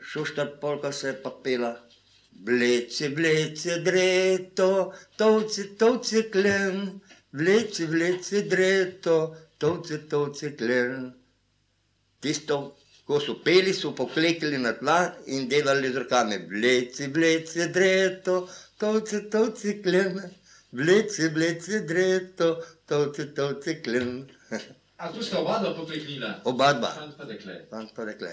Šuštar polka se je pa pela. Vleci, vleci, dreto, tovci, tovci, klen. Vleci, vleci, dreto, tovci, tovci, klen. Tisto, ko so peli, so poklekli na tla in delali z rokami. Vleci, vleci, dreto, tovci, tovci, klen. Vleci, vleci, dreto, tovci, tovci, klen. A tu sta oba dva pokleknila? Oba dva. Fant pa dekle. Fant pa dekle.